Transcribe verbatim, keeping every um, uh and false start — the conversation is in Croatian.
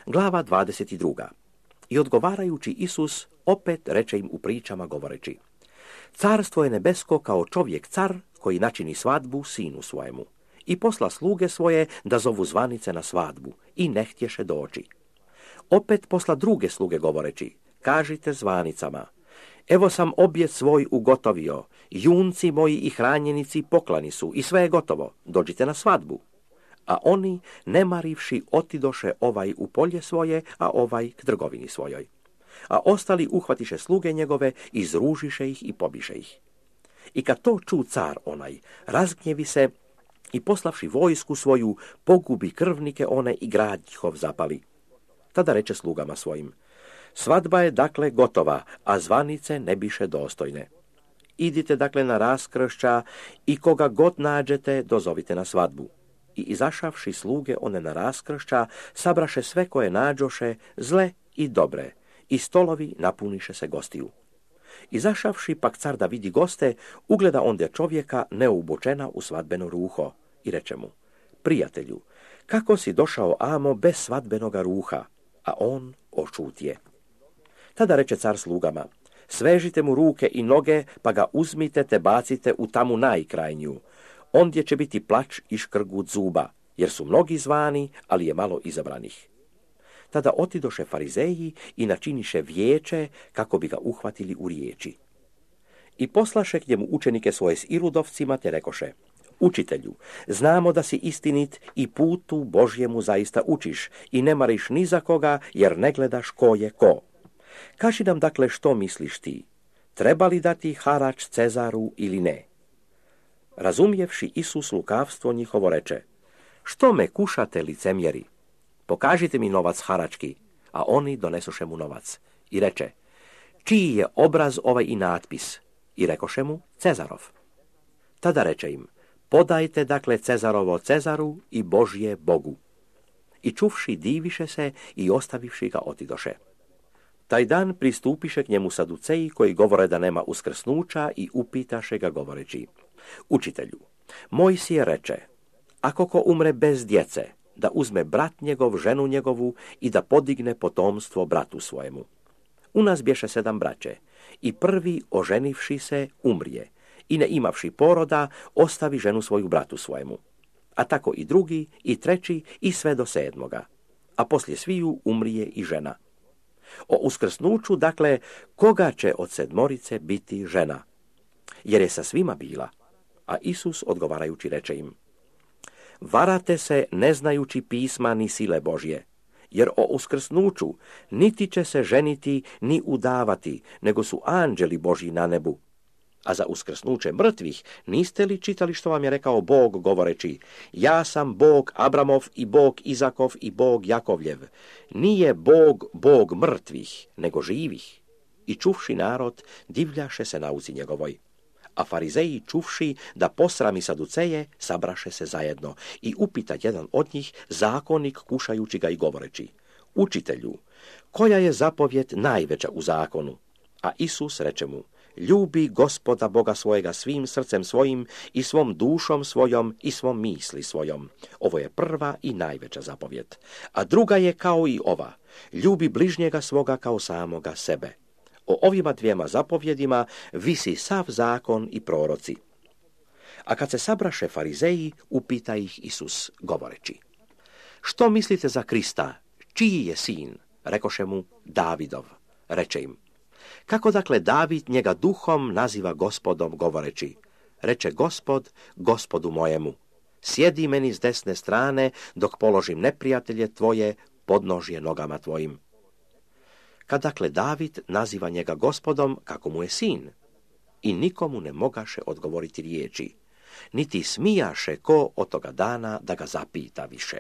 Glava dvadeset druga. I odgovarajući Isus opet reče im u pričama govoreći: Carstvo je nebesko kao čovjek car koji načini svadbu sinu svojemu. I posla sluge svoje da zovu zvanice na svadbu i ne htješe doći. Opet posla druge sluge govoreći: Kažite zvanicama: Evo sam objet svoj ugotovio, junci moji i hranjenici poklani su i sve je gotovo, dođite na svadbu. A oni, ne marivši, otidoše ovaj u polje svoje, a ovaj k trgovini svojoj. A ostali uhvatiše sluge njegove, izružiše ih i pobiše ih. I kad to ču car onaj, razgnjevi se i poslavši vojsku svoju, pogubi krvnike one i grad njihov zapali. Tada reče slugama svojim: Svadba je dakle gotova, a zvanice ne biše dostojne. Idite dakle na raskršća i koga god nađete, dozovite na svadbu. I izašavši sluge one na raskršća, sabraše sve koje nađoše, zle i dobre, i stolovi napuniše se gostiju. Izašavši pak car da vidi goste, ugleda onda čovjeka neuobučena u svadbeno ruho i reče mu: Prijatelju, kako si došao amo bez svadbenoga ruha? A on ošutje. Tada reče car slugama: Svežite mu ruke i noge, pa ga uzmite te bacite u tamu najkrajnju. Ondje će biti plač i škrgut zuba, jer su mnogi zvani, ali je malo izabranih. Tada otidoše farizeji i načiniše vijeće kako bi ga uhvatili u riječi. I poslaše k njemu učenike svoje s iludovcima, te rekoše: Učitelju, znamo da si istinit i putu Božjemu zaista učiš i ne mariš ni za koga, jer ne gledaš ko je ko. Kaži nam dakle što misliš ti, treba li dati harač Cezaru ili ne? Razumjevši Isus lukavstvo njihovo reče: Što me kušate, licemjeri? Pokažite mi novac harački. A oni donesoše mu novac. I reče: Čiji je obraz ovaj i natpis? I rekoše mu: Cezarov. Tada reče im: Podajte dakle Cezarovo Cezaru i Božje Bogu. I čuvši diviše se i ostavivši ga otidoše. Taj dan pristupiše k njemu saduceji koji govore da nema uskrsnuća i upitaše ga govoreći: Učitelju, Mojsije reče: Ako ko umre bez djece, da uzme brat njegov ženu njegovu i da podigne potomstvo bratu svojemu. U nas bješe sedam braće i prvi oženivši se umrije i ne imavši poroda ostavi ženu svoju bratu svojemu. A tako i drugi i treći i sve do sedmoga. A poslije sviju umrije i žena. O uskrsnuću, dakle, koga će od sedmorice biti žena? Jer je sa svima bila. A Isus odgovarajući reče im: Varate se ne znajući pisma ni sile Božje, jer o uskrsnuću niti će se ženiti ni udavati, nego su anđeli Božji na nebu. A za uskrsnuće mrtvih niste li čitali što vam je rekao Bog govoreći: Ja sam Bog Abramov i Bog Izakov i Bog Jakovljev. Nije Bog Bog mrtvih, nego živih. I čuvši narod, divljaše se nauci njegovoj. A farizeji čuvši da posrami saduceje, sabraše se zajedno i upita jedan od njih zakonik kušajući ga i govoreći: Učitelju, koja je zapovjed najveća u zakonu? A Isus reče mu: Ljubi Gospoda Boga svojega svim srcem svojim i svom dušom svojom i svom misli svojom. Ovo je prva i najveća zapovjed. A druga je kao i ova: ljubi bližnjega svoga kao samoga sebe. O ovima dvijema zapovjedima visi sav zakon i proroci. A kad se sabraše farizeji, upita ih Isus govoreći: Što mislite za Krista? Čiji je sin? Rekoše mu: Davidov. Reče im: Kako dakle David njega duhom naziva Gospodom govoreći: Reče Gospod Gospodu mojemu: Sjedi meni s desne strane dok položim neprijatelje tvoje podnožje nogama tvojim. Kad dakle David naziva njega Gospodom, kako mu je sin? I nikomu ne mogaše odgovoriti riječi, niti smijaše ko od toga dana da ga zapita više.